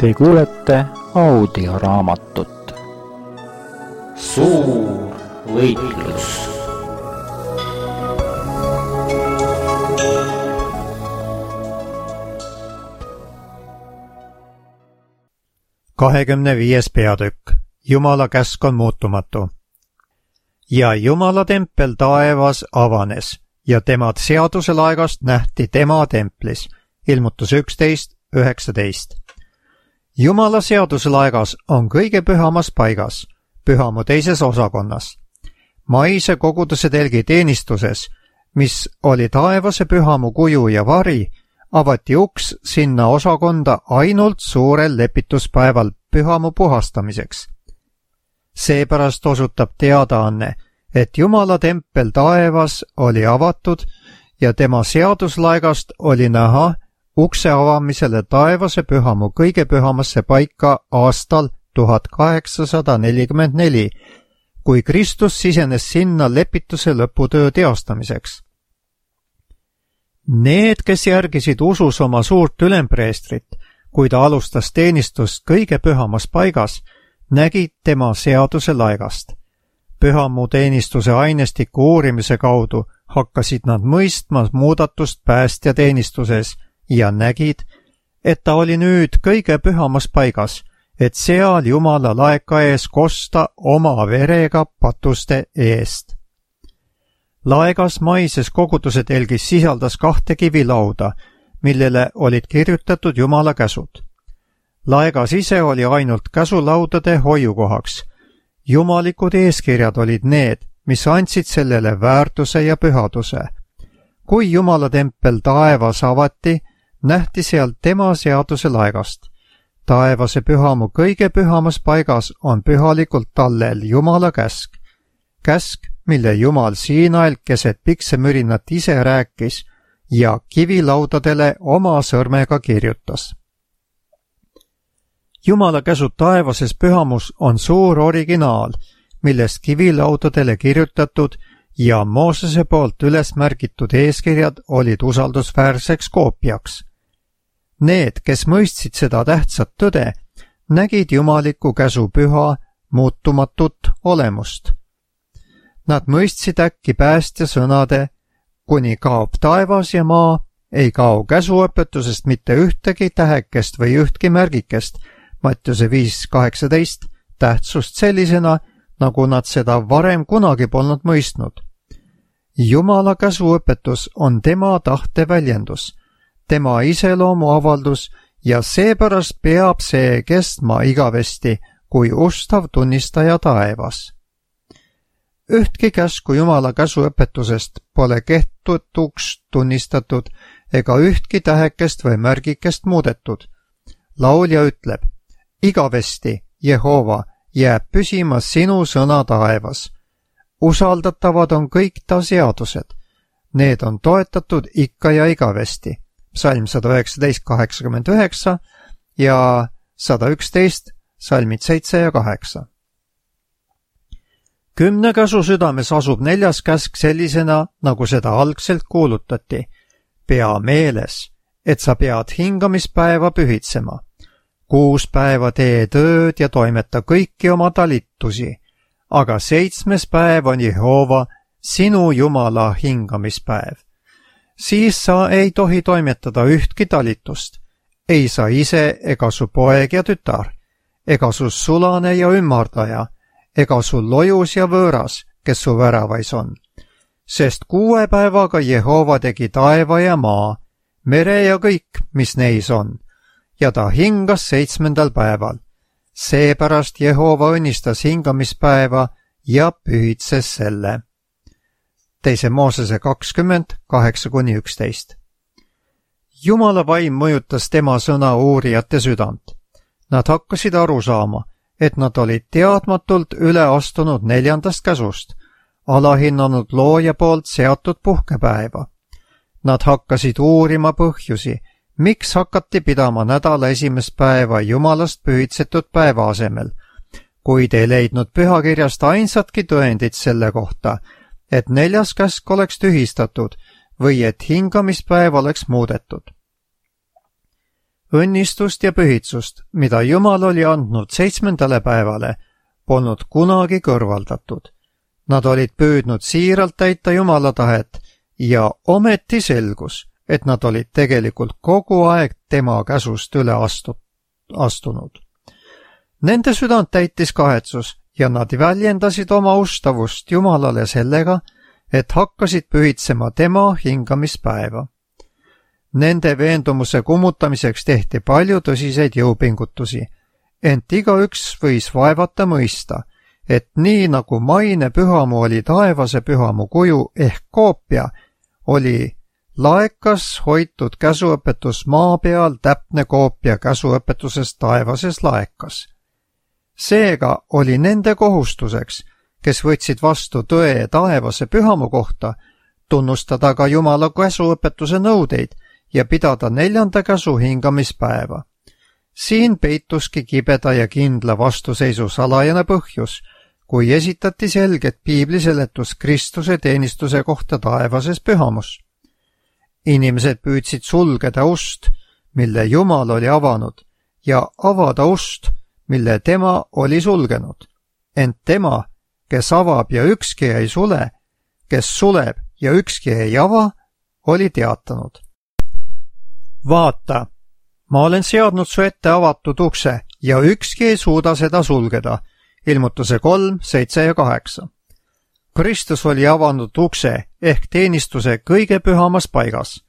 Te kuulete audioraamatut Suur võitlus. peatükk. Jumala käsk on muutumatu. Ja Jumala tempel taevas avanes ja tema seaduselaegast nähti tema templis. Ilmutus 11:19. Jumala seaduselaegas on kõige pühamas paigas, pühamu teises osakonnas. Maise koguduse telgi teenistuses, mis oli taevase pühamu kuju ja vari, avati uks sinna osakonda ainult suurel lepituspäeval pühamu puhastamiseks. Seepärast osutab teadaanne, et Jumala tempel taevas oli avatud ja tema seaduslaegast oli näha ukse avamisele taevase pühamu kõige pühamasse paika aastal 1844, kui Kristus sisenes sinna lepituse lõputöö teostamiseks. Need, kes järgisid usus oma suurt ülempreestrit, kui ta alustas teenistust kõige pühamas paigas, nägid tema seaduse laegast. Pühamu teenistuse ainestiku uurimise kaudu hakkasid nad mõistma muudatust päästja teenistuses ja nägid, et ta oli nüüd kõige pühamas paigas, et seal Jumala laeka ees kosta oma verega patuste eest. Laegas maises koguduse telgis sisaldas 2 kivilauda, millele olid kirjutatud Jumala käsud. Laegas ise oli ainult käsulaudade hoiukohaks. Jumalikud eeskirjad olid need, mis andsid sellele väärtuse ja pühaduse. Kui Jumala tempel taevas avati, nähti sealt tema seaduse laegast. Taevase pühamu kõige pühamas paigas on pühalikult tallel Jumala käsk. Käsk, mille Jumal Siinail keset piksemürinat ise rääkis ja kivilaudadele oma sõrmega kirjutas. Jumala käsud taevases pühamus on suur originaal, millest kivilaudadele kirjutatud ja Moosese poolt üles märgitud eeskirjad olid usaldusväärseks koopiaks. Need, kes mõistsid seda tähtsat tõde, nägid jumaliku käsu püha, muutumatut olemust. Nad mõistsid äkki päästja sõnade, kuni kaob taevas ja maa, ei kao käsuõpetusest mitte ühtegi tähekest või ühtki märgikest, Mattiuse 5:18, tähtsust sellisena, nagu nad seda varem kunagi polnud mõistnud. Jumala käsuõpetus on tema tahte väljendus, tema iseloomu avaldus ja seepärast peab see kestma igavesti kui ustav tunnistaja taevas. Ühtki käsku Jumala käsuõpetusest pole kehtetuks tunnistatud ega ühtki tähekest või märgikest muudetud. Laulja ütleb, igavesti, Jehova, jääb püsima sinu sõna taevas. Usaldatavad on kõik ta seadused. Need on toetatud ikka ja igavesti. Psalm 119:89 ja 111, salmid 7 ja 8. 10 käsu südames asub 4. käsk sellisena, nagu seda algselt kuulutati. Pea meeles, et sa pead hingamispäeva pühitsema. 6 päeva tee tööd ja toimeta kõiki oma talitusi, aga 7. päev on Jehova, sinu Jumala hingamispäev. Siis sa ei tohi toimetada ühtki talitust, ei sa ise ega su poeg ja tütar, ega su sulane ja ümmardaja, ega su lojus ja võõras, kes su väravais on. Sest 6 päevaga Jehova tegi taeva ja maa, mere ja kõik, mis neis on, ja ta hingas 7. päeval. Seepärast Jehova õnnistas hingamispäeva ja pühitses selle. 2. Moosese 20:8-11. Jumala vaim mõjutas tema sõna uurijate südant. Nad hakkasid aru saama, et nad olid teadmatult üle astunud 4. käsust, alahinnanud looja poolt seatud puhkepäeva. Nad hakkasid uurima põhjusi, miks hakati pidama nädala 1. päeva Jumalast pühitsetud päeva asemel, kuid ei leidnud pühakirjast ainsatki tõendit selle kohta, et 4. käsk oleks tühistatud või et hingamispäev oleks muudetud. õnnistust ja pühitsust, mida Jumal oli andnud 7. päevale, polnud kunagi kõrvaldatud. Nad olid püüdnud siiralt täita Jumala tahet ja ometi selgus, et nad olid tegelikult kogu aeg tema käsust üle astunud. Nende südant täitis kahetsus ja nad väljendasid oma ustavust Jumalale sellega, et hakkasid pühitsema tema hingamispäeva. Nende veendumuse kummutamiseks tehti palju tõsiseid jõupingutusi, ent igaüks võis vaevata mõista, et nii nagu maine pühamu oli taevase pühamu kuju ehk koopia, oli laekas hoitud käsuõpetus maa peal täpne koopia käsuõpetusest taevases laekas. Seega oli nende kohustuseks, kes võtsid vastu tõe taevase pühamu kohta, tunnustada ka Jumala käsuõpetuse nõudeid ja pidada 4. käsu hingamispäeva. Siin peituski kibeda ja kindla vastuseisu salajane põhjus, kui esitati selget piibliseletus Kristuse teenistuse kohta taevases pühamus. Inimesed püüdsid sulgeda ust, mille Jumal oli avanud, ja avada ust, mille tema oli sulgenud. Ent tema, kes avab ja ükski ei sule, kes suleb ja ükski ei ava, oli teatanud. Vaata, ma olen seadnud su ette avatud ukse ja ükski ei suuda seda sulgeda. Ilmutuse 3, 7 ja 8. Kristus oli avanud ukse ehk teenistuse kõige pühamas paigas.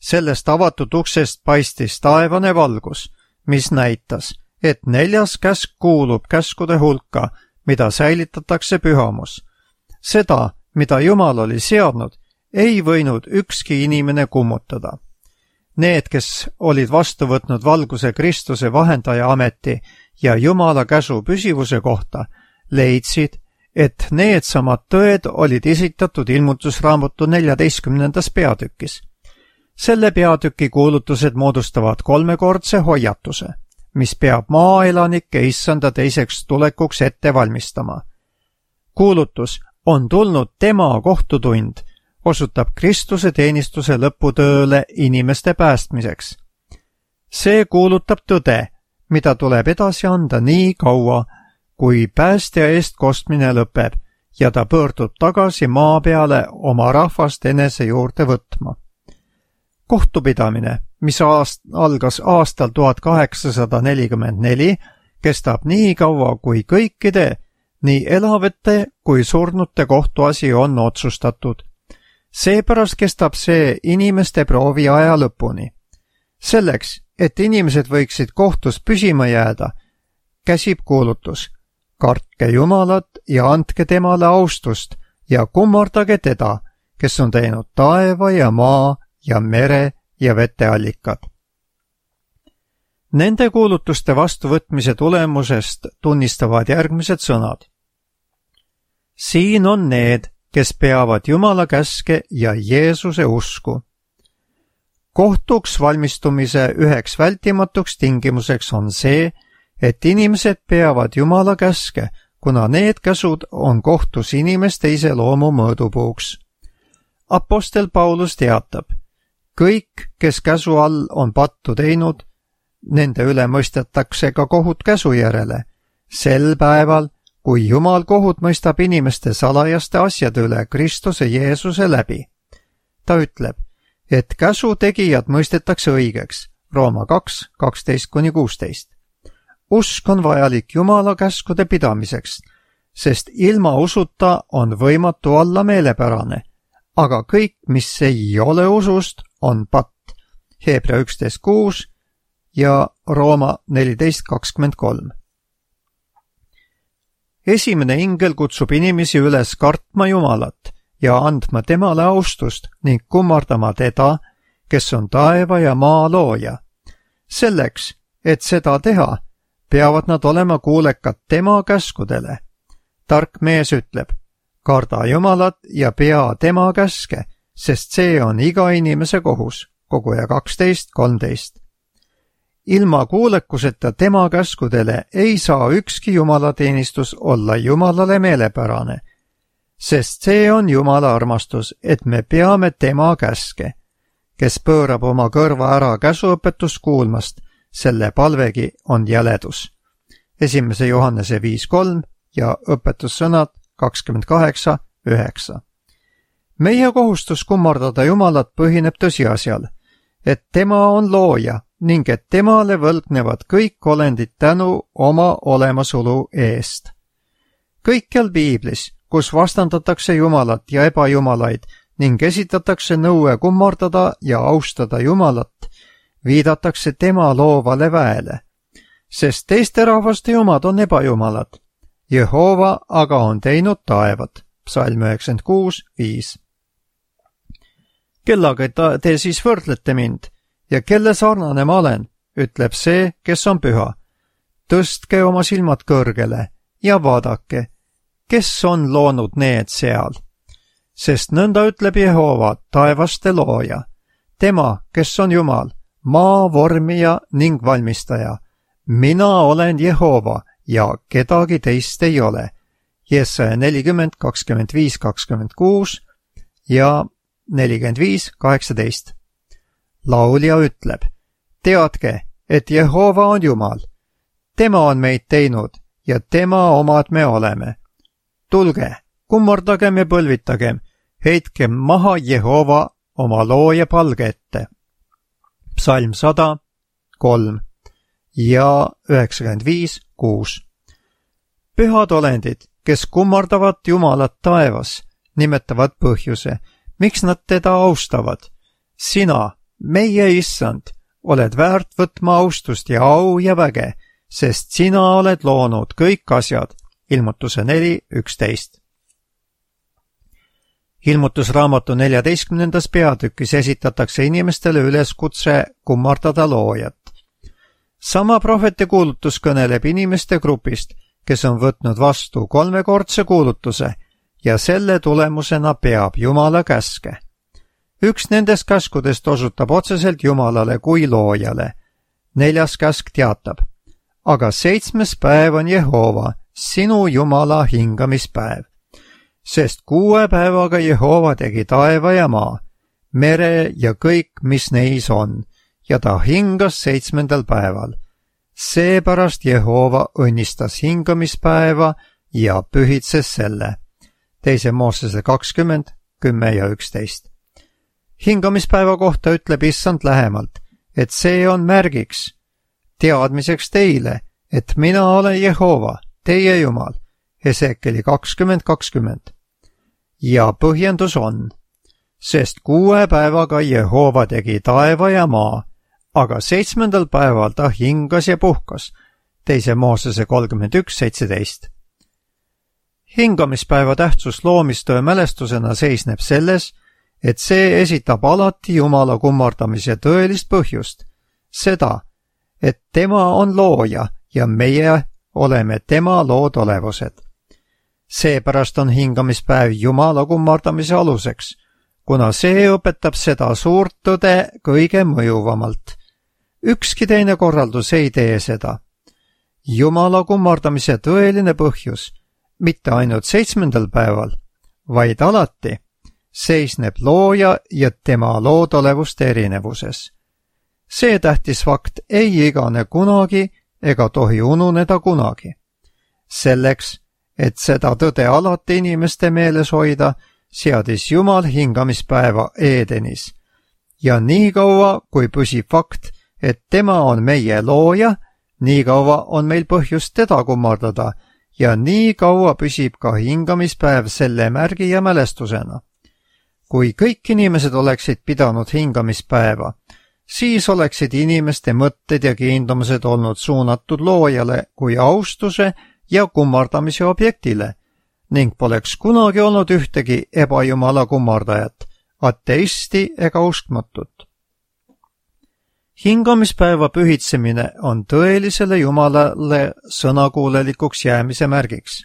Sellest avatud uksest paistis taevane valgus, mis näitas, et 4. käsk kuulub käskude hulka, mida säilitatakse pühamus. Seda, mida Jumal oli seadnud, ei võinud ükski inimene kummutada. Need, kes olid vastu võtnud valguse Kristuse vahendaja ameti ja Jumala käsu püsivuse kohta, leidsid, et needsamad tõed olid esitatud ilmutusraamatu 14. peatükis. Selle peatüki kuulutused moodustavad 3-kordse hoiatuse, mis peab maaelanikke issanda teiseks tulekuks ette valmistama. Kuulutus on tulnud tema kohtutund, osutab Kristuse teenistuse lõputööle inimeste päästmiseks. See kuulutab tõde, mida tuleb edasi anda nii kaua, kui päästja eest kostmine lõpeb ja ta pöördub tagasi maa peale oma rahvast enese juurde võtma. Kohtupidamine, mis algas aastal 1844, kestab nii kaua, kui kõikide, nii elavate kui surnute kohtuasi on otsustatud. Seepärast kestab see inimeste proovi aja lõpuni. Selleks, et inimesed võiksid kohtus püsima jääda, käsib kuulutus: kartke Jumalat ja andke temale austust ja kummardage teda, kes on teinud taeva ja maa ja mere ja veteallikad. Nende kuulutuste vastuvõtmise tulemusest tunnistavad järgmised sõnad. Siin on need, kes peavad Jumala käske ja Jeesuse usku. Kohtuks valmistumise üheks vältimatuks tingimuseks on see, et inimesed peavad Jumala käske, kuna need käsud on kohtus inimeste iseloomu mõõdupuuks. Apostel Paulus teatab, kõik, kes käsu all on pattu teinud, nende üle mõistetakse ka kohut käsu järele, sel päeval, kui Jumal kohut mõistab inimeste salajaste asjade üle Kristuse Jeesuse läbi. Ta ütleb, et käsu tegijad mõistetakse õigeks, Rooma 2, 12-16. Usk on vajalik Jumala käskude pidamiseks, sest ilma usuta on võimatu olla meelepärane, aga kõik, mis ei ole usust, on patt. Hebra 11.6 ja Rooma 14.23. Esimene ingel kutsub inimesi üles kartma Jumalat ja andma temale austust ning kummardama teda, kes on taeva ja maa looja. Selleks, et seda teha, peavad nad olema kuulekad tema käskudele. Tark mees ütleb, karda Jumalat ja pea tema käske, sest see on iga inimese kohus, Koguja 12.13. Ilma kuulekuseta tema käskudele ei saa ükski jumalateenistus olla Jumalale meelepärane, sest see on Jumala armastus, et me peame tema käske. Kes pöörab oma kõrva ära käsuõpetust kuulmast, selle palvegi on jäledus. 1. Johannese 5.3 ja õpetussõnad 28.9. Meie kohustus kummardada Jumalat põhineb tõsiasjal, et tema on looja ning et temale võlgnevad kõik olendid tänu oma olemasolu eest. Kõikjal piiblis, kus vastandatakse Jumalat ja ebajumalaid ning esitatakse nõue kummardada ja austada Jumalat, viidatakse tema loovale väele, sest teiste rahvaste jumad on ebajumalad. Jehova aga on teinud taevad. Psalm 96.5. Kellaga te siis võrdlete mind ja kelle sarnane ma olen, ütleb see, kes on püha. Tõstke oma silmad kõrgele ja vaadake, kes on loonud need seal. Sest nõnda ütleb Jehova, taevaste looja, tema, kes on Jumal, maa vormija ning valmistaja. Mina olen Jehova ja kedagi teist ei ole. Jesaja 40, 25, 26 ja 45, 18. Laulja ütleb, teadke, et Jehova on Jumal. Tema on meid teinud ja tema omad me oleme. Tulge, kummardagem ja põlvitagem, heitkem maha Jehova oma looja palge ette. Psalm 100, 3 ja 95, 6. Pühad olendid, kes kummardavad Jumalat taevas, nimetavad põhjuse, miks nad teda austavad. Sina, meie issand, oled väärt võtma austust ja au ja väge, sest sina oled loonud kõik asjad. Ilmutuse 4.11. Ilmutusraamatu 14. peatükis esitatakse inimestele üleskutse kummardada loojat. Sama prohveti kuulutus kõneleb inimeste grupist, kes on võtnud vastu 3-kordse kuulutuse ja selle tulemusena peab Jumala käske. Üks nendest käskudest osutab otseselt Jumalale kui loojale. 4. käsk teatab, aga 7. päev on Jehova, sinu Jumala hingamispäev. Sest 6 päevaga Jehova tegi taeva ja maa, mere ja kõik, mis neis on, ja ta hingas 7. päeval. Seepärast Jehova õnnistas hingamispäeva ja pühitses selle. 2. Moosese 20, 10 ja 11. Hingamispäeva kohta ütleb issand lähemalt, et see on märgiks, teadmiseks teile, et mina olen Jehova, teie Jumal. Hesekeli 20.20. Ja põhjendus on, sest 6 päevaga Jehova tegi taeva ja maa, aga 7. päeval ta hingas ja puhkas. 2. Moosese 31.17. Hingamispäeva tähtsus loomistöö mälestusena seisneb selles, et see esitab alati Jumala kummardamise tõelist põhjust, seda, et tema on looja ja meie oleme tema loodolevused. Seepärast on hingamispäev Jumala kummardamise aluseks, kuna see õpetab seda suurt tõde kõige mõjuvamalt. Ükski teine korraldus ei tee seda. Jumala kummardamise tõeline põhjus, mitte ainult 7. päeval, vaid alati, seisneb looja ja tema loodolevuste erinevuses. See tähtis fakt ei igane kunagi ega tohi ununeda kunagi. Selleks, et seda tõde alati inimeste meeles hoida, seadis Jumal hingamispäeva Edenis. Ja nii kaua, kui püsib fakt, et tema on meie looja, nii kaua on meil põhjust teda kummardada ja nii kaua püsib ka hingamispäev selle märgi ja mälestusena. Kui kõik inimesed oleksid pidanud hingamispäeva, siis oleksid inimeste mõtted ja kiindumused olnud suunatud loojale kui austuse ja kummardamise objektile ning poleks kunagi olnud ühtegi ebajumala kummardajat, ateisti ega uskmatut. Hingamispäeva pühitsemine on tõelisele Jumalale sõnakuulelikuks jäämise märgiks.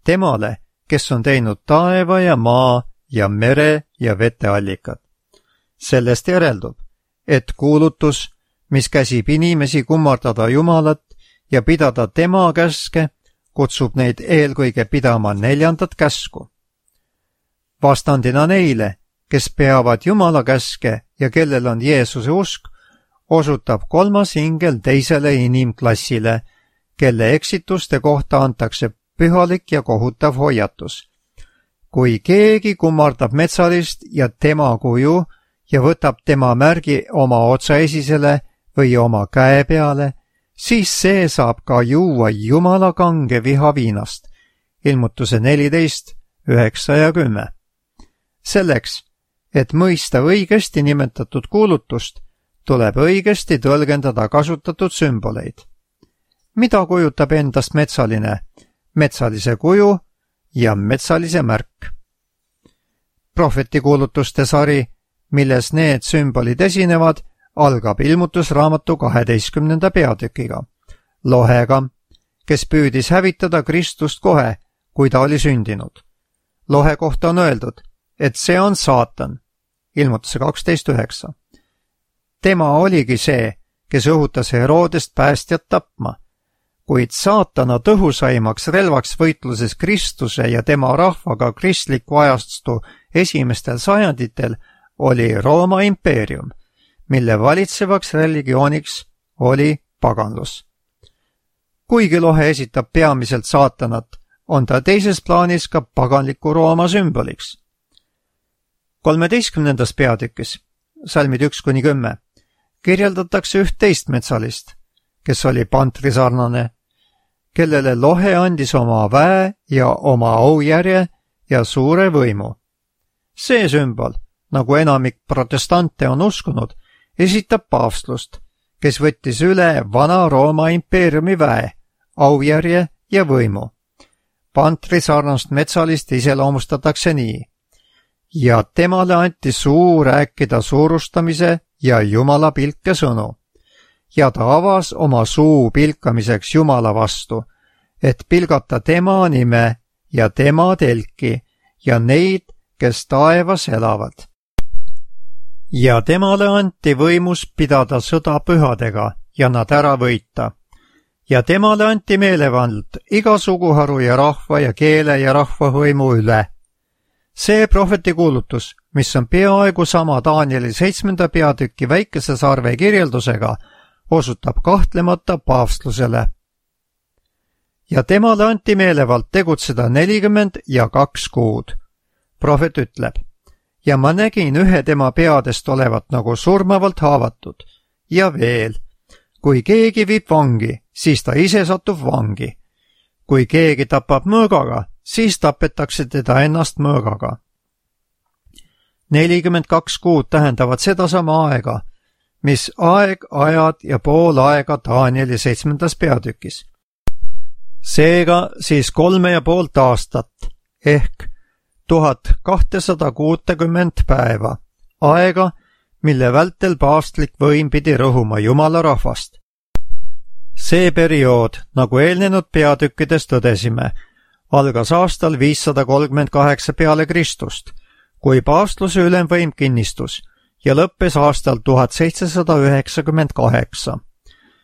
Temale, kes on teinud taeva ja maa ja mere ja veteallikad. Sellest järeldub, et kuulutus, mis käsib inimesi kummardada Jumalat ja pidada tema käske, kutsub neid eelkõige pidama 4. käsku. Vastandina neile, kes peavad Jumala käske ja kellel on Jeesuse usk, osutab kolmas ingel teisele inimklassile, kelle eksituste kohta antakse pühalik ja kohutav hoiatus. Kui keegi kummardab metsalist ja tema kuju ja võtab tema märgi oma otsaesisele või oma käe peale, siis see saab ka juua Jumala kange vihaviinast. Ilmutuse 14, 9 ja 10. Selleks, et mõista õigesti nimetatud kuulutust, tuleb õigesti tõlgendada kasutatud sümboleid. Mida kujutab endast metsaline, metsalise kuju ja metsalise märk? Prohvetikuulutuste sari, milles need sümbolid esinevad, algab ilmutusraamatu 12. peatükiga. Lohega, kes püüdis hävitada Kristust kohe, kui ta oli sündinud. Lohe kohta on öeldud, et see on saatan. Ilmutuse 12.9. Tema oligi see, kes õhutas Herodest päästjat tapma, kuid saatana tõhusaimaks relvaks võitluses Kristuse ja tema rahvaga kristliku ajastu esimestel sajanditel oli Rooma impeerium, mille valitsevaks religiooniks oli paganlus. Kuigi Lohe esitab peamiselt saatanat, on ta teises plaanis ka paganliku Rooma sümboliks. 13. peatükis, salmid 1-10, kirjeldatakse üht teist metsalist, kes oli pantrisarnane, kellele Lohe andis oma väe ja oma aujärje ja suure võimu. See sümbol, nagu enamik protestante on uskunud, esitab paavstlust, kes võttis üle vana Rooma impeeriumi väe, aujärje ja võimu. Pantrisarnast metsalist iseloomustatakse nii. Ja temale anti suu rääkida suurustamise ja Jumala pilke sõnu. Ja ta avas oma suu pilkamiseks Jumala vastu, et pilgata tema nime ja tema telki ja neid, kes taevas elavad. Ja temale anti võimus pidada sõda pühadega ja nad ära võita. Ja temale anti meelevald iga suguharu ja rahva ja keele ja rahvahõimu üle. See prohvetikuulutus, mis on peaaegu sama Danieli 7. peatüki väikese sarve kirjeldusega, osutab kahtlemata paavstlusele. Ja temale anti meelevald tegutseda 42 kuud. Prohvet ütleb, ja ma nägin ühe tema peadest olevat nagu surmavalt haavatud. Ja veel, kui keegi viib vangi, siis ta ise satub vangi. Kui keegi tapab mõõgaga, siis tapetakse teda ennast mõõgaga. 42 kuud tähendavad sedasama aega, mis aeg, ajad ja pool aega Danieli 7. peatükis. Seega siis 3,5 aastat ehk 1260 päeva, aega, mille vältel paavstlik võim pidi rõhuma Jumala rahvast. See periood, nagu eelnenud peatükkides tõdesime, algas aastal 538 peale Kristust, kui paavstluse ülemvõim kinnistus ja lõppes aastal 1798.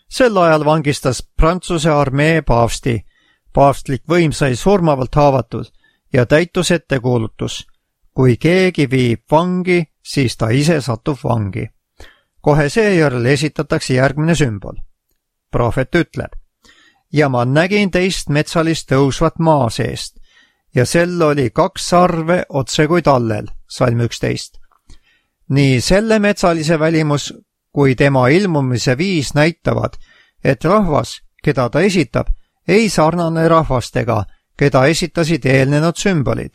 Sel ajal vangistas Prantsuse armee paavsti, paavstlik võim sai surmavalt haavatud ja täitus ettekuulutus. Kui keegi viib vangi, siis ta ise satub vangi. Kohe seejärel esitatakse järgmine sümbol. Prohvet ütleb, ja ma nägin teist metsalist tõusvat maa seest ja sel oli 2 sarve otse kui tallel, salm 11. Nii selle metsalise välimus kui tema ilmumise viis näitavad, et rahvas, keda ta esitab, ei sarnane rahvastega, keda esitasid eelnenud sümbolid.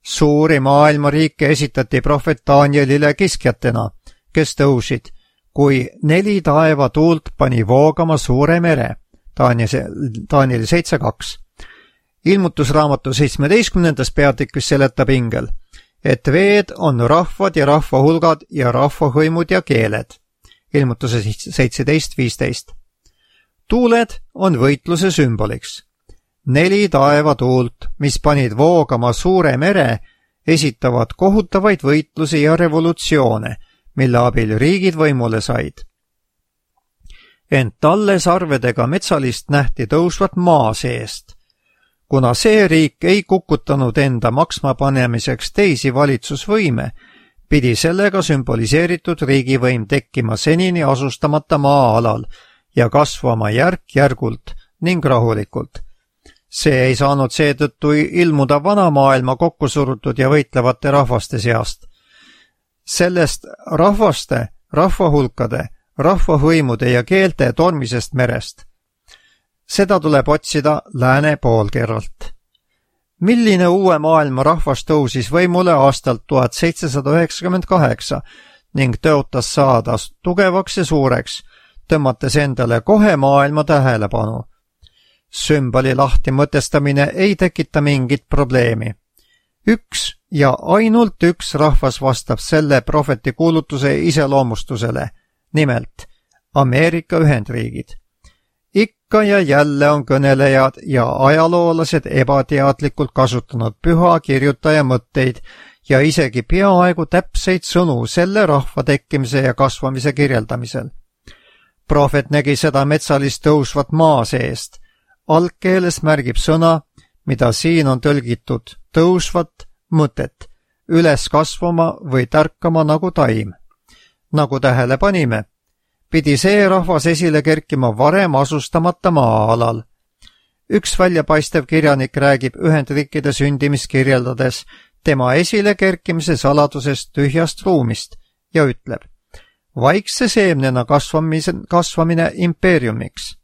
Suuri maailmariike esitati prohvet Danielile kiskjatena, kes tõusid, kui 4 taevatuult pani voogama suure mere, Danieli 7.2. Ilmutusraamatu 17. peatükis seletab ingel, et veed on rahvad ja rahvahulgad ja rahvahõimud ja keeled. Ilmutuse 17.15. Tuuled on võitluse sümboliks. 4 taevatuult, mis panid voogama suure mere, esitavad kohutavaid võitlusi ja revolutsioone, mille abil riigid võimule said. Ent talle sarvedega metsalist nähti tõusvat maa seest. Kuna see riik ei kukutanud enda maksma panemiseks teisi valitsusvõime, pidi sellega sümboliseeritud riigivõim tekkima senini asustamata maa-alal ja kasvama järk-järgult ning rahulikult. See ei saanud seetõttu ilmuda vana maailma kokkusurutud ja võitlevate rahvaste seast. Sellest rahvaste, rahvahulkade, rahvahõimude ja keelte tormisest merest. Seda tuleb otsida lääne poolkerralt. Milline uue maailma rahvas tõusis võimule aastal 1798 ning tõotas saada tugevaks ja suureks, tõmmates endale kohe maailma tähelepanu. Sümboli lahti mõtestamine ei tekita mingit probleemi. Üks ja ainult üks rahvas vastab selle prohveti kuulutuse iseloomustusele, nimelt Ameerika Ühendriigid. Ikka ja jälle on kõnelejad ja ajaloolased ebateadlikult kasutanud püha kirjutaja mõtteid ja isegi peaaegu täpseid sõnu selle rahva tekkimise ja kasvamise kirjeldamisel. Prohvet nägi seda metsalist tõusvat maa seest. Algkeeles märgib sõna, mida siin on tõlgitud tõusvat mõtet, üles kasvama või tärkama nagu taim. Nagu tähele panime, pidi see rahvas esile kerkima varem asustamata maa-alal. Üks väljapaistev kirjanik räägib Ühendriikide sündimist kirjeldades tema esile kerkimise saladusest tühjast ruumist ja ütleb, vaikse seemnena kasvamine impeeriumiks.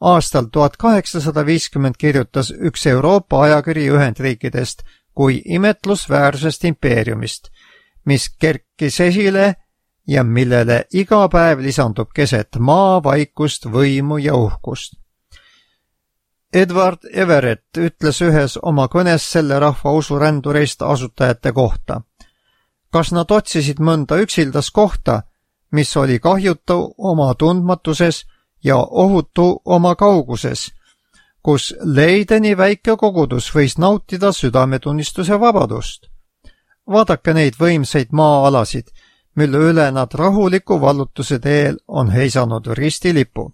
Aastal 1850 kirjutas üks Euroopa ajakiri Ühendriikidest kui imetlusväärsest impeeriumist, mis kerkis esile ja millele iga päev lisandub keset maa vaikust, võimu ja uhkust. Edward Everett ütles ühes oma kõnes selle rahva usurändureist asutajate kohta. Kas nad otsisid mõnda üksildast kohta, mis oli kahjutu oma tundmatuses ja ohutu oma kauguses, kus leideni väike kogudus võis nautida südametunnistuse vabadust. Vaadake neid võimsaid maa-alasid, mille üle nad rahuliku vallutuse teel on heisanud ristilipu.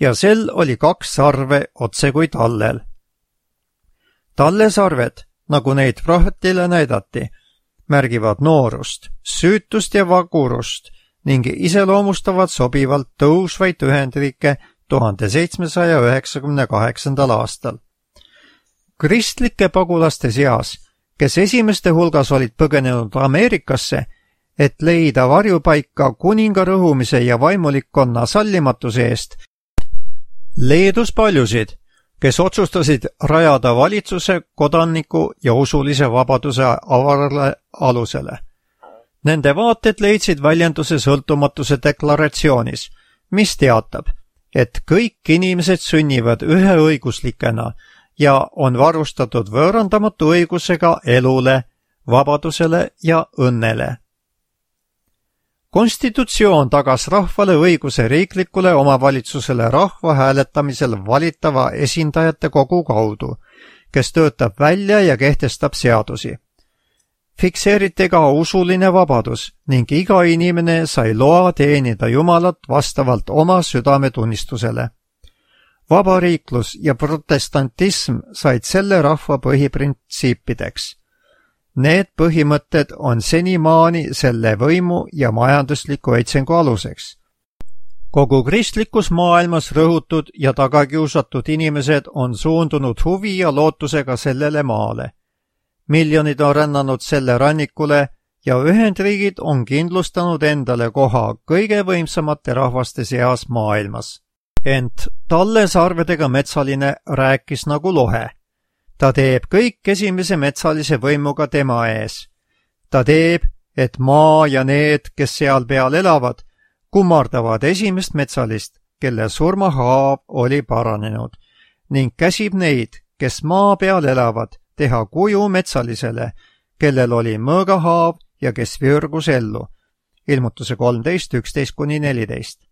Ja sel oli 2 sarve otse kui tallel. Tallesarved, nagu neid prohvetile näidati, märgivad noorust, süütust ja vagurust ning iseloomustavad sobivalt tõusvaid Ühendriike 1798. aastal. Kristlike pagulaste seas, kes esimeste hulgas olid põgenenud Ameerikasse, et leida varjupaika kuninga rõhumise ja vaimulikkonna sallimatuse eest, leedus paljusid, kes otsustasid rajada valitsuse, kodaniku ja usulise vabaduse avarale alusele. Nende vaated leidsid väljenduse sõltumatuse deklaratsioonis, mis teatab, et kõik inimesed sünnivad üheõiguslikena ja on varustatud võõrandamatu õigusega elule, vabadusele ja õnnele. Konstitutsioon tagas rahvale õiguse riiklikule omavalitsusele rahva hääletamisel valitava esindajate kogu kaudu, kes töötab välja ja kehtestab seadusi. Fikseeriti ka usuline vabadus ning iga inimene sai loa teenida Jumalat vastavalt oma südametunnistusele. Vabariiklus ja protestantism said selle rahva põhiprintsiipideks. Need põhimõtted on senimaani selle võimu ja majandusliku õitsengu aluseks. Kogu kristlikus maailmas rõhutud ja tagakiusatud inimesed on suundunud huvi ja lootusega sellele maale. Miljonid on rännanud selle rannikule ja Ühendriigid on kindlustanud endale koha kõige võimsamate rahvaste seas maailmas. Ent tallesarvedega metsaline rääkis nagu lohe. Ta teeb kõik esimese metsalise võimuga tema ees. Ta teeb, et maa ja need, kes seal peal elavad, kummardavad esimest metsalist, kelle surmahaav oli paranenud, ning käsib neid, kes maa peal elavad, teha kuju metsalisele, kellel oli mõõgahaav ja kes virgus ellu. Ilmutuse 13:11-14.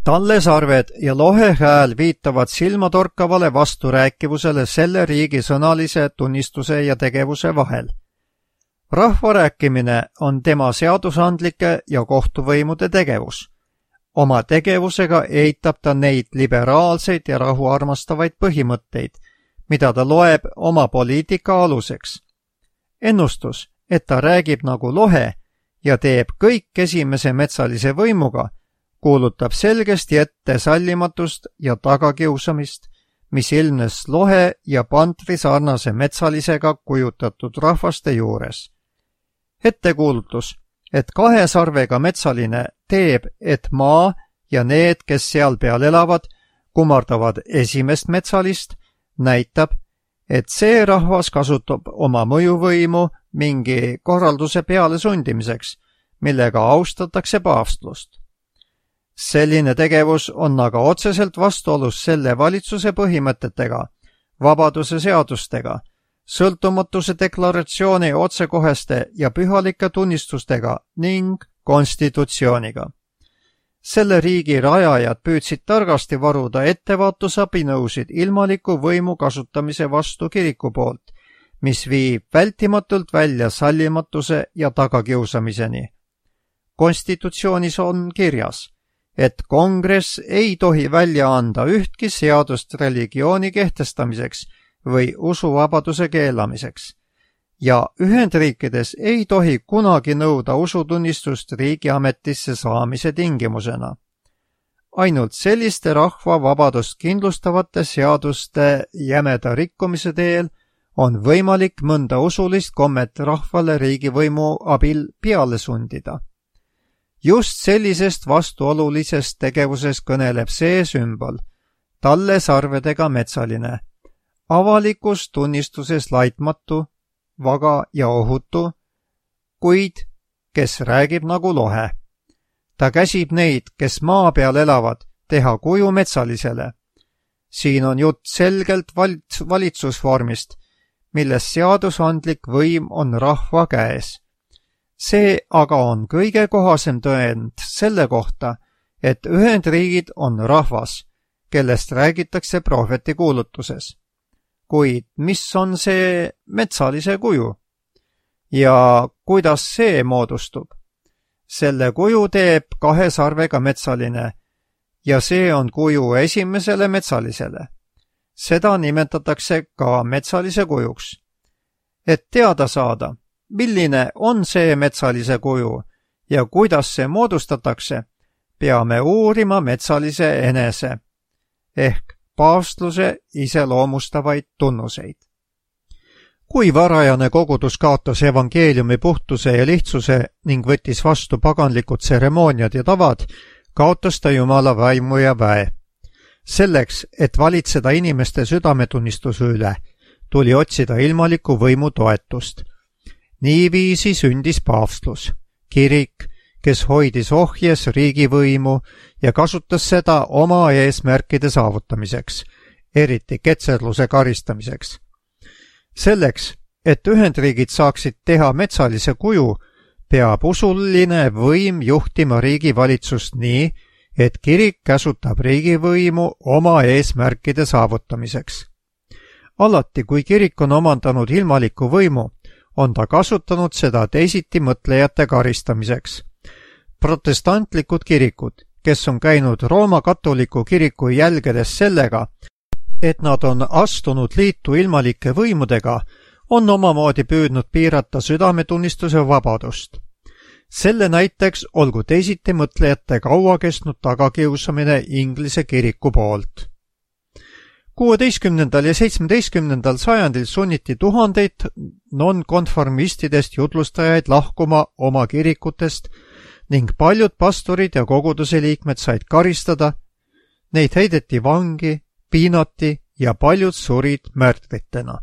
Tallesarved ja lohehääl viitavad silmatorkavale vasturääkivusele selle riigi sõnalise tunnistuse ja tegevuse vahel. Rahva rääkimine on tema seadusandlike ja kohtuvõimude tegevus. Oma tegevusega eitab ta neid liberaalseid ja rahuarmastavaid põhimõtteid, mida ta loeb oma poliitika aluseks. Ennustus, et ta räägib nagu lohe ja teeb kõik esimese metsalise võimuga, kuulutab selgesti ette sallimatust ja tagakiusamist, mis ilmnes lohe ja pantri sarnase metsalisega kujutatud rahvaste juures. Ettekuulutus, et 2 sarvega metsaline teeb, et maa ja need, kes seal peal elavad, kummardavad esimest metsalist, näitab, et see rahvas kasutab oma mõjuvõimu mingi korralduse peale sundimiseks, millega austatakse paavstlust. Selline tegevus on aga otseselt vastuolus selle valitsuse põhimõtetega, vabaduse seadustega, sõltumatuse deklaratsiooni otsekoheste ja pühalike tunnistustega ning konstitutsiooniga. Selle riigi rajajad püüdsid targasti varuda ettevaatusabinõusid ilmaliku võimu kasutamise vastu kiriku poolt, mis viib vältimatult välja sallimatuse ja tagakiusamiseni. Konstitutsioonis on kirjas, et kongress ei tohi välja anda ühtki seadust religiooni kehtestamiseks või usuvabaduse keelamiseks ja Ühendriikides ei tohi kunagi nõuda usutunnistust riigiametisse saamise tingimusena. Ainult selliste rahva vabadust kindlustavate seaduste jämeda rikkumise teel on võimalik mõnda usulist kommet rahvale riigivõimu abil peale sundida. Just sellisest vastuolulisest tegevusest kõneleb see sümbol, talle sarvedega metsaline, avalikus tunnistuses laitmatu, vaga ja ohutu, kuid kes räägib nagu lohe. Ta käsib neid, kes maa peal elavad, teha kuju metsalisele. Siin on jutt selgelt valitsusvormist, milles seadusandlik võim on rahva käes. See aga on kõige kohasem tõend selle kohta, et Ühendriigid on rahvas, kellest räägitakse prohveti kuulutuses. Kuid mis on see metsalise kuju? Ja kuidas see moodustub? Selle kuju teeb 2 sarvega metsaline ja see on kuju esimesele metsalisele. Seda nimetatakse ka metsalise kujuks. Et teada saada, milline on see metsalise kuju ja kuidas see moodustatakse, peame uurima metsalise enese ehk paavstluse iseloomustavaid tunnuseid. Kui varajane kogudus kaotas evangeeliumi puhtuse ja lihtsuse ning võttis vastu paganlikud tseremooniad ja tavad, kaotas ta Jumala vaimu ja väe. Selleks, et valitseda inimeste südametunnistuse üle, tuli otsida ilmaliku võimu toetust. Niiviisi sündis paavstlus, kirik, kes hoidis ohjes riigivõimu ja kasutas seda oma eesmärkide saavutamiseks, eriti ketserluse karistamiseks. Selleks, et Ühendriigid saaksid teha metsalise kuju, peab usuline võim juhtima riigivalitsust nii, et kirik käsutab riigivõimu oma eesmärkide saavutamiseks. Alati, kui kirik on omandanud ilmaliku võimu, on ta kasutanud seda teisiti mõtlejate karistamiseks. Protestantlikud kirikud, kes on käinud Rooma katoliku kiriku jälgedes sellega, et nad on astunud liitu ilmalike võimudega, on omamoodi püüdnud piirata südametunnistuse vabadust. Selle näiteks olgu teisiti mõtlejate kaua kestnud tagakiusamine Inglise kiriku poolt. 16. ja 17. sajandil sunniti tuhandeid nonkonformistidest jutlustajaid lahkuma oma kirikutest ning paljud pastorid ja koguduse liikmed said karistada, neid heideti vangi, piinati ja paljud surid märtritena.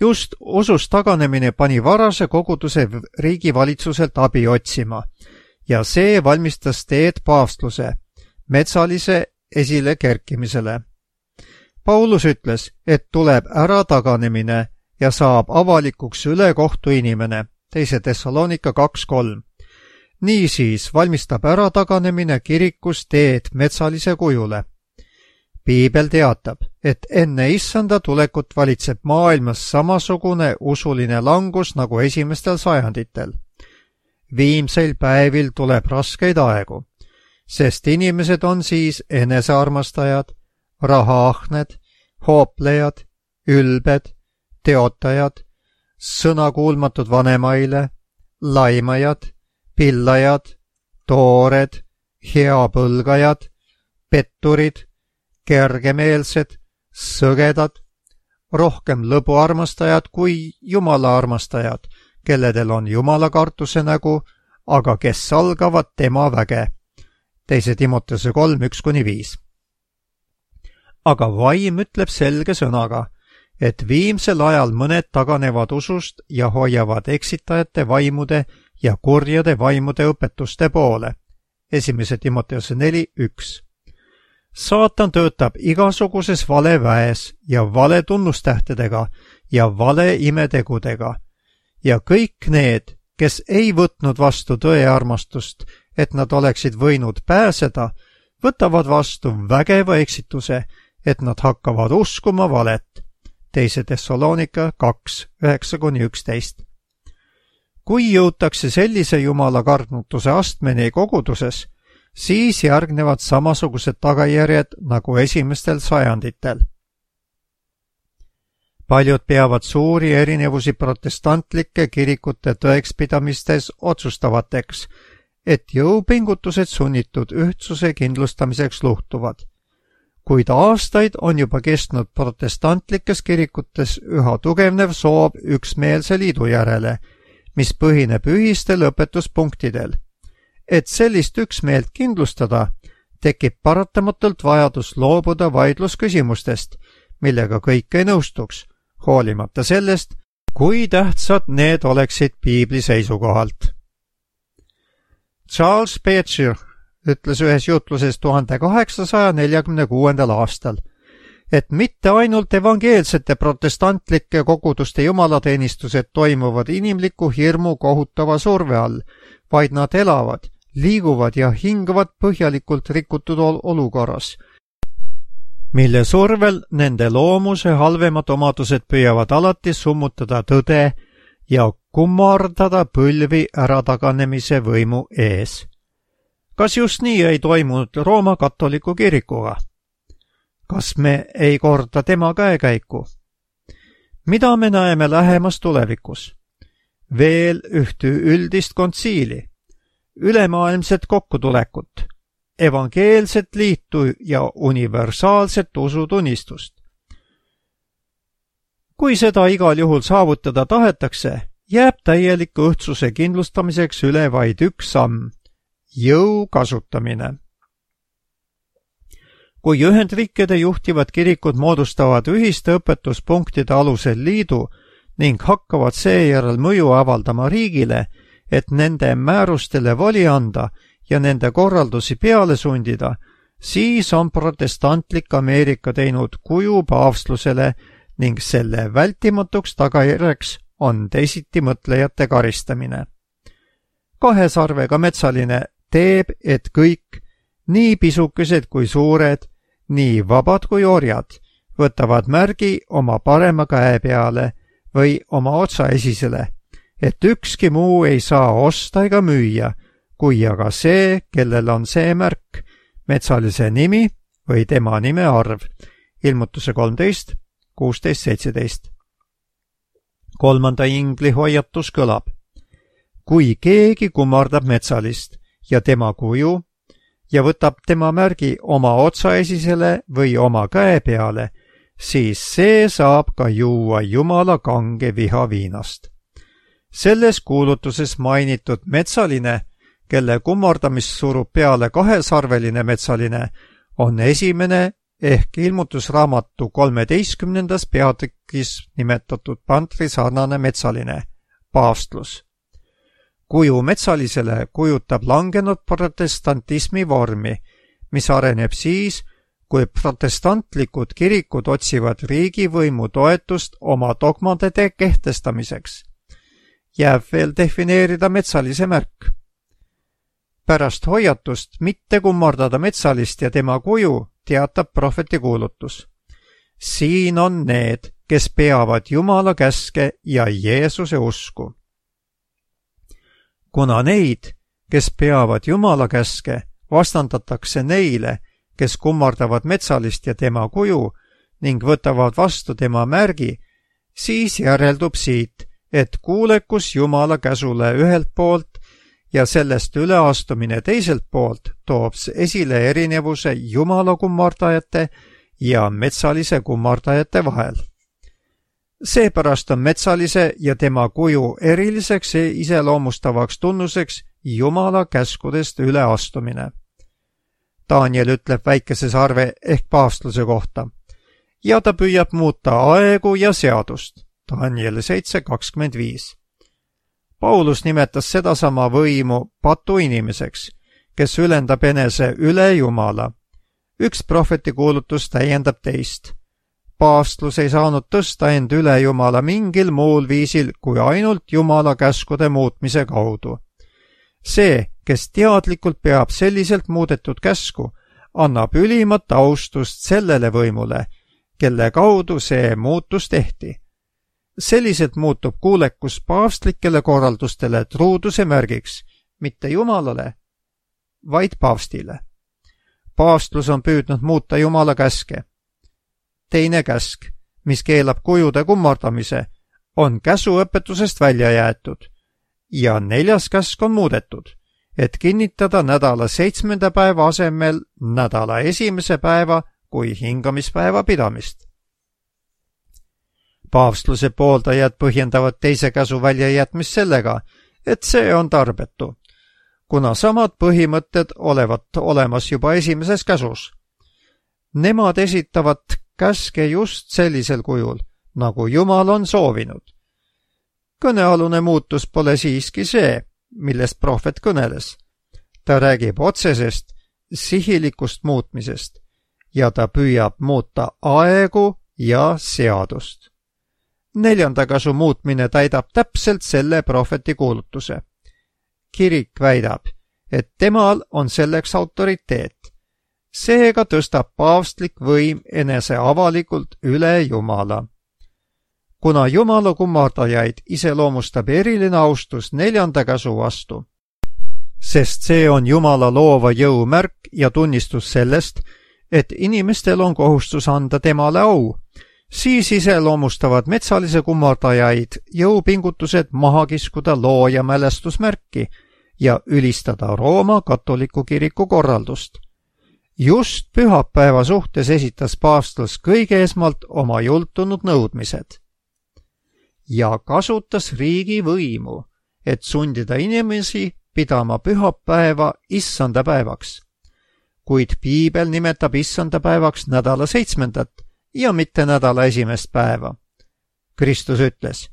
Just usust taganemine pani varase koguduse riigivalitsuselt abi otsima ja see valmistas teed paavstluse, metsalise esile kerkimisele. Paulus ütles, et tuleb ära taganemine ja saab avalikuks ülekohtu inimene, 2. Thessalonika 2.3. Niisiis valmistab ära taganemine kirikus teed metsalise kujule. Piibel teatab, et enne issanda tulekut valitseb maailmas samasugune usuline langus nagu esimestel sajanditel. Viimseil päevil tuleb raskeid aegu, sest inimesed on siis enesearmastajad, rahaahned, hooplejad, ülbed, teotajad, sõnakuulmatud vanemaile, laimajad, pillajad, toored, heapõlgajad, petturid, kergemeelsed, sõgedad, rohkem lõbu armastajad kui Jumala armastajad, kelledel on Jumala kartuse nägu, aga kes salgavad tema väge. 2 Timoteuse 3:1-5. Aga vaim ütleb selge sõnaga, et viimsel ajal mõned taganevad usust ja hoiavad eksitajate vaimude ja kurjade vaimude õpetuste poole. 1 Timoteuse 4:1. Saatan töötab igasuguses valeväes ja vale tunnustähtedega ja vale imetegudega ja kõik need, kes ei võtnud vastu tõe armastust, et nad oleksid võinud pääseda, võtavad vastu vägeva eksituse, et nad hakkavad uskuma valet. 2 Thessalonika 2:9-11. Kui jõutakse sellise Jumala kartnutuse astmeni koguduses, siis järgnevad samasugused tagajärjed nagu esimestel sajanditel. Paljud peavad suuri erinevusi protestantlike kirikute tõekspidamistes otsustavateks, et jõupingutused sunnitud ühtsuse kindlustamiseks luhtuvad. Kuid aastaid on juba kestnud protestantlikes kirikutes üha tugevnev soov üksmeelse liidu järele, mis põhineb ühistel õpetuspunktidel. Et sellist üksmeelt kindlustada, tekib paratamatult vajadus loobuda vaidlusküsimustest, millega kõik ei nõustuks, hoolimata sellest, kui tähtsad need oleksid piibli seisukohalt. Charles Spurgeon ütles ühes jutluses 1846. aastal, et mitte ainult evangeelsete protestantlike koguduste jumalateenistused toimuvad inimliku hirmu kohutava surve all, vaid nad elavad, liiguvad ja hingavad põhjalikult rikutud olukorras, mille survel nende loomuse halvemad omadused püüavad alati summutada tõde ja kummardada põlvi ärataganemise võimu ees. Kas just nii ei toimunud Rooma katoliku kirikuga? Kas me ei korda tema käekäiku? Mida me näeme lähemas tulevikus? Veel ühte üldist kontsiili, ülemaailmset kokkutulekut, evangeelset liitu ja universaalset usutunnistust. Kui seda igal juhul saavutada tahetakse, jääb täieliku õhtsuse kindlustamiseks üle vaid üks samm, jõu kasutamine. Kui Ühendriikide juhtivad kirikud moodustavad ühiste õpetuspunktide alusel liidu ning hakkavad seejärel mõju avaldama riigile, et nende määrustele voli anda ja nende korraldusi peale sundida, siis on protestantlik Ameerika teinud kuju paavstlusele ning selle vältimatuks tagajärjeks on teisitimõtlejate karistamine. 2 sarvega metsaline teeb, et kõik, nii pisukesed kui suured, nii vabad kui orjad, võtavad märgi oma parema käe peale või oma otsaesisele, et ükski muu ei saa osta ega müüa, kui aga see, kellel on see märk, metsalise nimi või tema nime arv. Ilmutuse 13, 16-17. 3. ingli hoiatus kõlab. Kui keegi kummardab metsalist ja tema kuju ja võtab tema märgi oma otsaesisele või oma käe peale, siis see saab ka juua Jumala kange viha viinast. Selles kuulutuses mainitud metsaline, kelle kummardamist surub peale 2-sarveline metsaline, on esimene ehk ilmutusraamatu 13. peatükis nimetatud pantri sarnane metsaline, paavstlus. Kuju metsalisele kujutab langenud protestantismi vormi, mis areneb siis, kui protestantlikud kirikud otsivad riigivõimu toetust oma dogmade kehtestamiseks. Jääb veel defineerida metsalise märk. Pärast hoiatust mitte kummardada metsalist ja tema kuju teatab prohveti kuulutus. Siin on need, kes peavad Jumala käske ja Jeesuse usku. Kuna neid, kes peavad Jumala käske, vastandatakse neile, kes kummardavad metsalist ja tema kuju ning võtavad vastu tema märgi, siis järeldub siit, et kuulekus Jumala käsule ühelt poolt ja sellest üleastumine teiselt poolt toob esile erinevuse Jumala kummardajate ja metsalise kummardajate vahel. Seepärast on metsalise ja tema kuju eriliseks iseloomustavaks tunnuseks Jumala käskudest üleastumine. Daniel ütleb väikese sarve ehk paavstluse kohta ja ta püüab muuta aegu ja seadust. Daniel 7:25. Paulus nimetas sedasama võimu patuinimeseks, kes ülendab enese üle Jumala. Üks prohveti kuulutus täiendab teist. Paavstlus ei saanud tõsta end üle Jumala mingil muul viisil kui ainult Jumala käskude muutmise kaudu. See, kes teadlikult peab selliselt muudetud käsku, annab ülimat austust sellele võimule, kelle kaudu see muutus tehti. Selliselt muutub kuulekus paavstlikele korraldustele truuduse märgiks, mitte Jumalale, vaid paavstile. Paavstlus on püüdnud muuta Jumala käske. Teine käsk, mis keelab kujude kummardamise, on käsuõpetusest välja jäetud ja 4. käsk on muudetud, et kinnitada nädala 7. päeva asemel nädala 1. päeva kui hingamispäeva pidamist. Paavstluse pooldajad põhjendavad teise käsu väljajätmist sellega, et see on tarbetu, kuna samad põhimõtted olevat olemas juba 1. käsus. Nemad esitavad käske just sellisel kujul, nagu Jumal on soovinud. Kõnealune muutus pole siiski see, millest prohvet kõneles. Ta räägib otsesest, sihilikust muutmisest ja ta püüab muuta aegu ja seadust. 4. käsu muutmine täidab täpselt selle prohveti kuulutuse. Kirik väidab, et temal on selleks autoriteet. Seega tõstab paavstlik võim enese avalikult üle Jumala. Kuna Jumala kummardajaid iseloomustab eriline austus 4. käsu vastu, sest see on Jumala loova jõu märk ja tunnistus sellest, et inimestel on kohustus anda temale au, siis iseloomustavad metsalise kummardajaid jõupingutused maha kiskuda looja mälestusmärki ja ülistada Rooma katoliku kiriku korraldust. Just pühapäeva suhtes esitas paavstlus kõige esmalt oma jultunud nõudmised ja kasutas riigi võimu, et sundida inimesi pidama pühapäeva issanda päevaks. Kuid piibel nimetab issanda päevaks nädala 7. ja mitte nädala 1. päeva. Kristus ütles,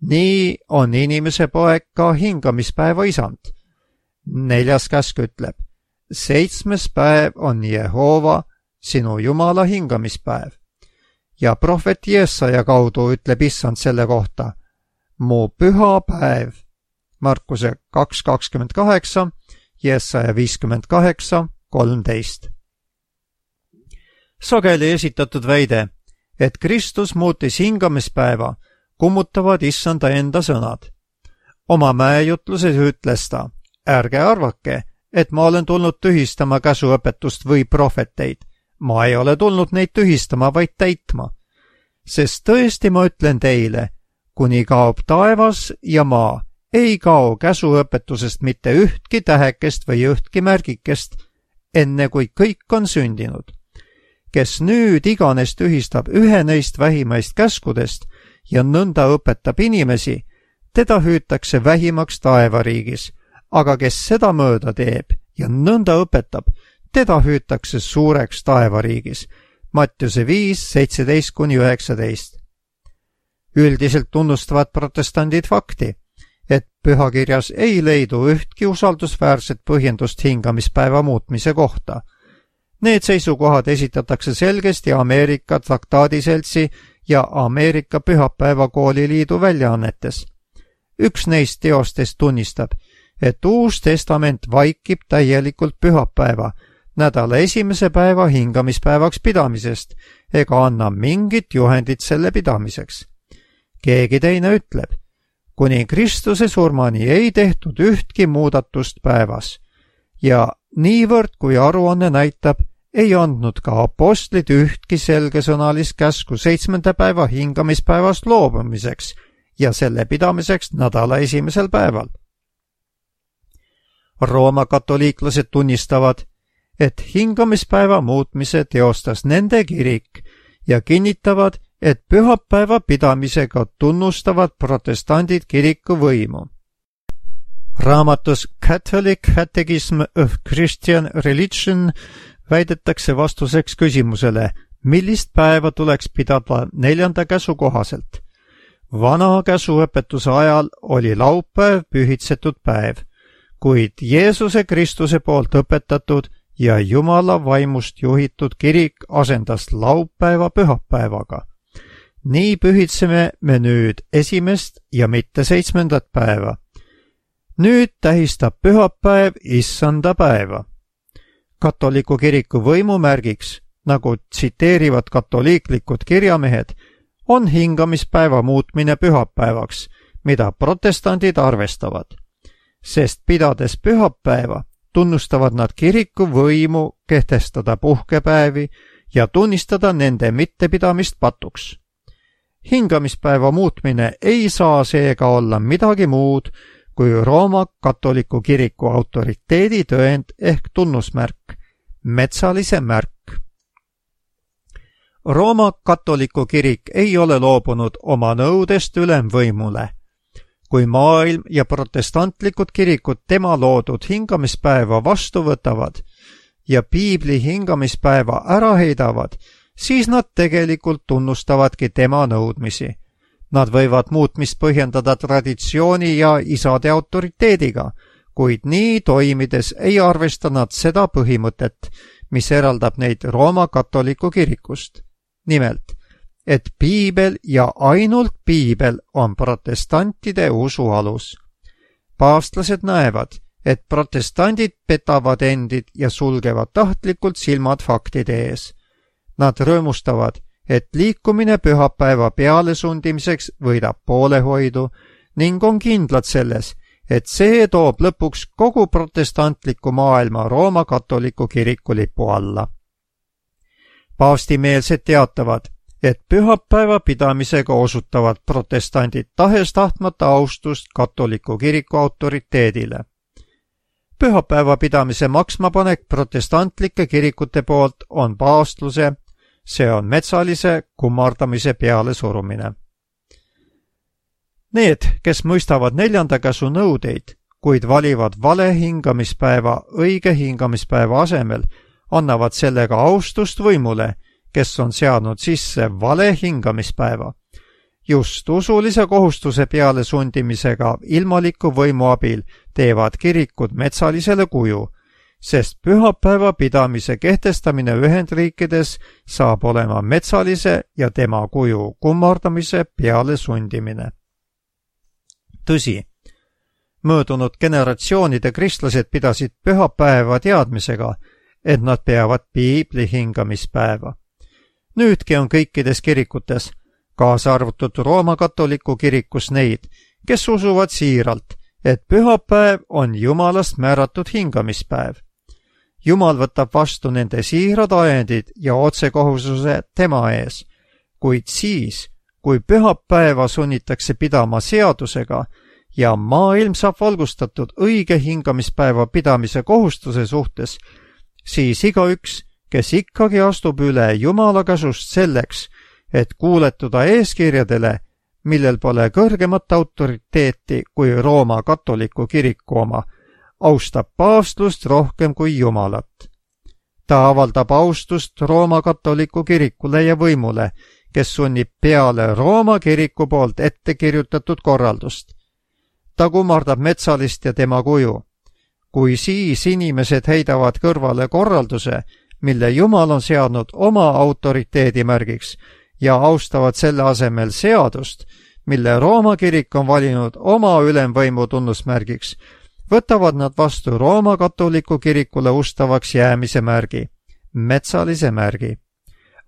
nii on inimese poeg ka hingamispäeva isand. 4. käsk ütleb, 7. päev on Jehova, sinu Jumala hingamispäev. Ja prohvet Jesaja kaudu ütleb issand selle kohta, mu püha päev. Markuse 2:28, Jesaja 58:13. Sageli esitatud väide, et Kristus muutis hingamispäeva, kummutavad issanda enda sõnad. Oma mäejutluses ütles ta, ärge arvake, et ma olen tulnud tühistama käsuõpetust või prohveteid. Ma ei ole tulnud neid tühistama, vaid täitma. Sest tõesti ma ütlen teile, kuni kaob taevas ja maa, ei kao käsuõpetusest mitte ühtki tähekest või ühtki märgikest, enne kui kõik on sündinud. Kes nüüd iganes tühistab ühe neist vähimaist käskudest ja nõnda õpetab inimesi, teda hüütakse vähimaks taevariigis, aga kes seda mööda teeb ja nõnda õpetab, teda hüütakse suureks taevariigis. Mattiuse 5:17-19. Üldiselt tunnustavad protestandid fakti, et pühakirjas ei leidu ühtki usaldusväärset põhjendust hingamispäeva muutmise kohta. Need seisukohad esitatakse selgesti Ameerika traktaadiseltsi ja Ameerika pühapäevakooliliidu väljaannetes. Üks neist teostest tunnistab, et Uus Testament vaikib täielikult pühapäeva, nädala 1. päeva hingamispäevaks pidamisest ega anna mingit juhendit selle pidamiseks. Keegi teine ütleb, kuni Kristuse surmani ei tehtud ühtki muudatust päevas ja niivõrd kui aruanne näitab, ei andnud ka apostlid ühtki selgesõnalist käsku 7. päeva hingamispäevast loobumiseks ja selle pidamiseks nädala esimesel päeval. Rooma katoliiklased tunnistavad, et hingamispäeva muutmise teostas nende kirik ja kinnitavad, et pühapäeva pidamisega tunnustavad protestandid kiriku võimu. Raamatus Catholic Catechism of Christian Religion väidetakse vastuseks küsimusele, millist päeva tuleks pidada 4. käsu kohaselt. Vana käsuõpetuse ajal oli laupäev pühitsetud päev, kuid Jeesuse Kristuse poolt õpetatud ja Jumala vaimust juhitud kirik asendas laupäeva pühapäevaga. Nii pühitseme me nüüd 1. ja mitte 7. päeva. Nüüd tähistab pühapäev issanda päeva. Katoliku kiriku võimumärgiks, nagu tsiteerivad katoliiklikud kirjamehed, on hingamispäeva muutmine pühapäevaks, mida protestandid arvestavad. Sest pidades pühapäeva, tunnustavad nad kiriku võimu kehtestada puhkepäevi ja tunnistada nende mittepidamist patuks. Hingamispäeva muutmine ei saa seega olla midagi muud kui Rooma katoliku kiriku autoriteedi tõend ehk tunnusmärk, metsalise märk. Rooma katoliku kirik ei ole loobunud oma nõudest ülemvõimule. Kui maailm ja protestantlikud kirikud tema loodud hingamispäeva vastu võtavad ja piibli hingamispäeva ära heidavad, siis nad tegelikult tunnustavadki tema nõudmisi. Nad võivad muutmist põhjendada traditsiooni ja isade autoriteediga, kuid nii toimides ei arvesta nad seda põhimõtet, mis eraldab neid Rooma katoliku kirikust. Nimelt, et piibel ja ainult piibel on protestantide usu alus. Paavstlased näevad, et protestandid petavad endid ja sulgevad tahtlikult silmad faktide ees. Nad rõõmustavad, et liikumine pühapäeva pealesundimiseks võidab poolehoidu ning on kindlad selles, et see toob lõpuks kogu protestantliku maailma Rooma katoliku kiriku lipu alla. Paavstimeelsed teatavad, et pühapäeva pidamisega osutavad protestandid tahes-tahtmata austust katoliku kiriku autoriteedile. Pühapäeva pidamise maksmapanek protestantlike kirikute poolt on paavstluse, see on metsalise kummardamise peale surumine. Need, kes mõistavad 4. käsu nõudeid, kuid valivad vale hingamispäeva õige hingamispäeva asemel, annavad sellega austust võimule, kes on seadnud sisse vale hingamispäeva. Just usulise kohustuse peale sundimisega ilmaliku võimu abil teevad kirikud metsalisele kuju, sest pühapäeva pidamise kehtestamine Ühendriikides saab olema metsalise ja tema kuju kummardamise peale sundimine. Tõsi, möödunud generatsioonide kristlased pidasid pühapäeva teadmisega, et nad peavad piibli hingamispäeva. Nüüdki on kõikides kirikutes, kaasa arvutud Rooma katoliku kirikus neid, kes usuvad siiralt, et pühapäev on Jumalast määratud hingamispäev. Jumal võtab vastu nende siirad ajendid ja otsekohustuse tema ees, kuid siis, kui pühapäeva sunnitakse pidama seadusega ja maailm saab valgustatud õige hingamispäeva pidamise kohustuse suhtes, siis igaüks, kes ikkagi astub üle Jumala käsust selleks, et kuuletuda eeskirjadele, millel pole kõrgemat autoriteeti kui Rooma katoliku kiriku oma, austab paavstlust rohkem kui Jumalat. Ta avaldab austust Rooma katoliku kirikule ja võimule, kes sunnib peale Rooma kiriku poolt ette kirjutatud korraldust. Ta kummardab metsalist ja tema kuju. Kui siis inimesed heidavad kõrvale korralduse, mille Jumal on seadnud oma autoriteedi märgiks ja austavad selle asemel seadust, mille Rooma kirik on valinud oma ülemvõimu tunnusmärgiks, võtavad nad vastu Rooma katoliku kirikule ustavaks jäämise märgi, metsalise märgi.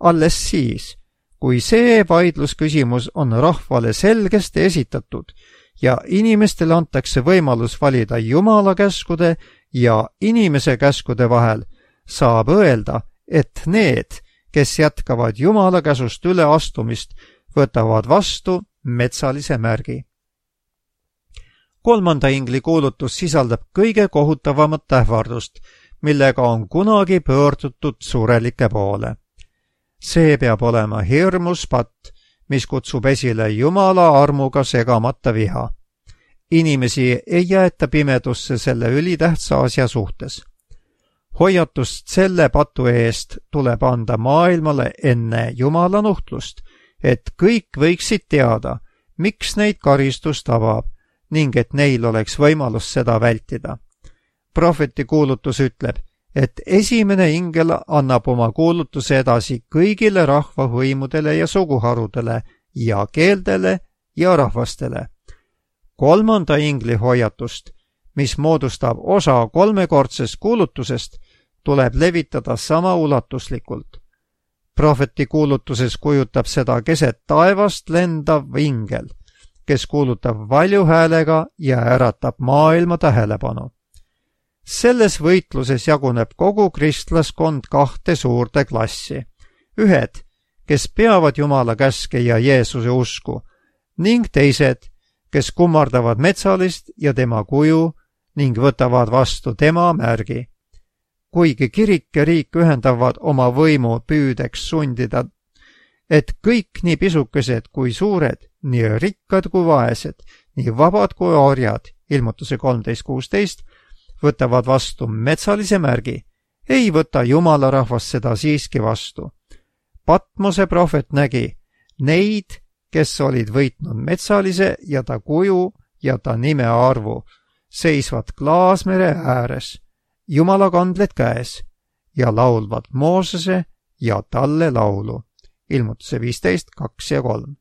Alles siis, kui see vaidlusküsimus on rahvale selgesti esitatud ja inimestele antakse võimalus valida Jumala käskude ja inimese käskude vahel, saab öelda, et need, kes jätkavad Jumala käsust üleastumist, võtavad vastu metsalise märgi. Kolmanda ingli kuulutus sisaldab kõige kohutavamat ähvardust, millega on kunagi pöördutud surelike poole. See peab olema hirmus patt, mis kutsub esile Jumala armuga segamata viha. Inimesi ei jäeta pimedusse selle ülitähtsa asja suhtes. Hoiatust selle patu eest tuleb anda maailmale enne Jumala nuhtlust, et kõik võiksid teada, miks neid karistus tabab ning et neil oleks võimalus seda vältida. Prohveti kuulutus ütleb, et esimene ingel annab oma kuulutuse edasi kõigile rahvahõimudele ja suguharudele ja keeldele ja rahvastele. Kolmanda ingli hoiatust, mis moodustab osa kolmekordsest kuulutusest, tuleb levitada sama ulatuslikult. Prohveti kuulutuses kujutab seda keset taevast lendav ingel, kes kuulutab valju häälega ja äratab maailma tähelepanu. Selles võitluses jaguneb kogu kristlaskond kahte suurde klassi. Ühed, kes peavad Jumala käske ja Jeesuse usku, ning teised, kes kummardavad metsalist ja tema kuju ning võtavad vastu tema märgi. Kuigi kirik ja riik ühendavad oma võimu püüdeks sundida, et kõik nii pisukesed kui suured, nii rikkad kui vaesed, nii vabad kui orjad, Ilmutuse 13.16, võtavad vastu metsalise märgi, ei võta Jumala rahvas seda siiski vastu. Patmose prohvet nägi neid, kes olid võitnud metsalise ja ta kuju ja ta nime arvu, seisvad Klaasmere ääres, Jumala kandled käes ja laulvad Moosese ja talle laulu. Ilmutuse 15, 2 ja 3.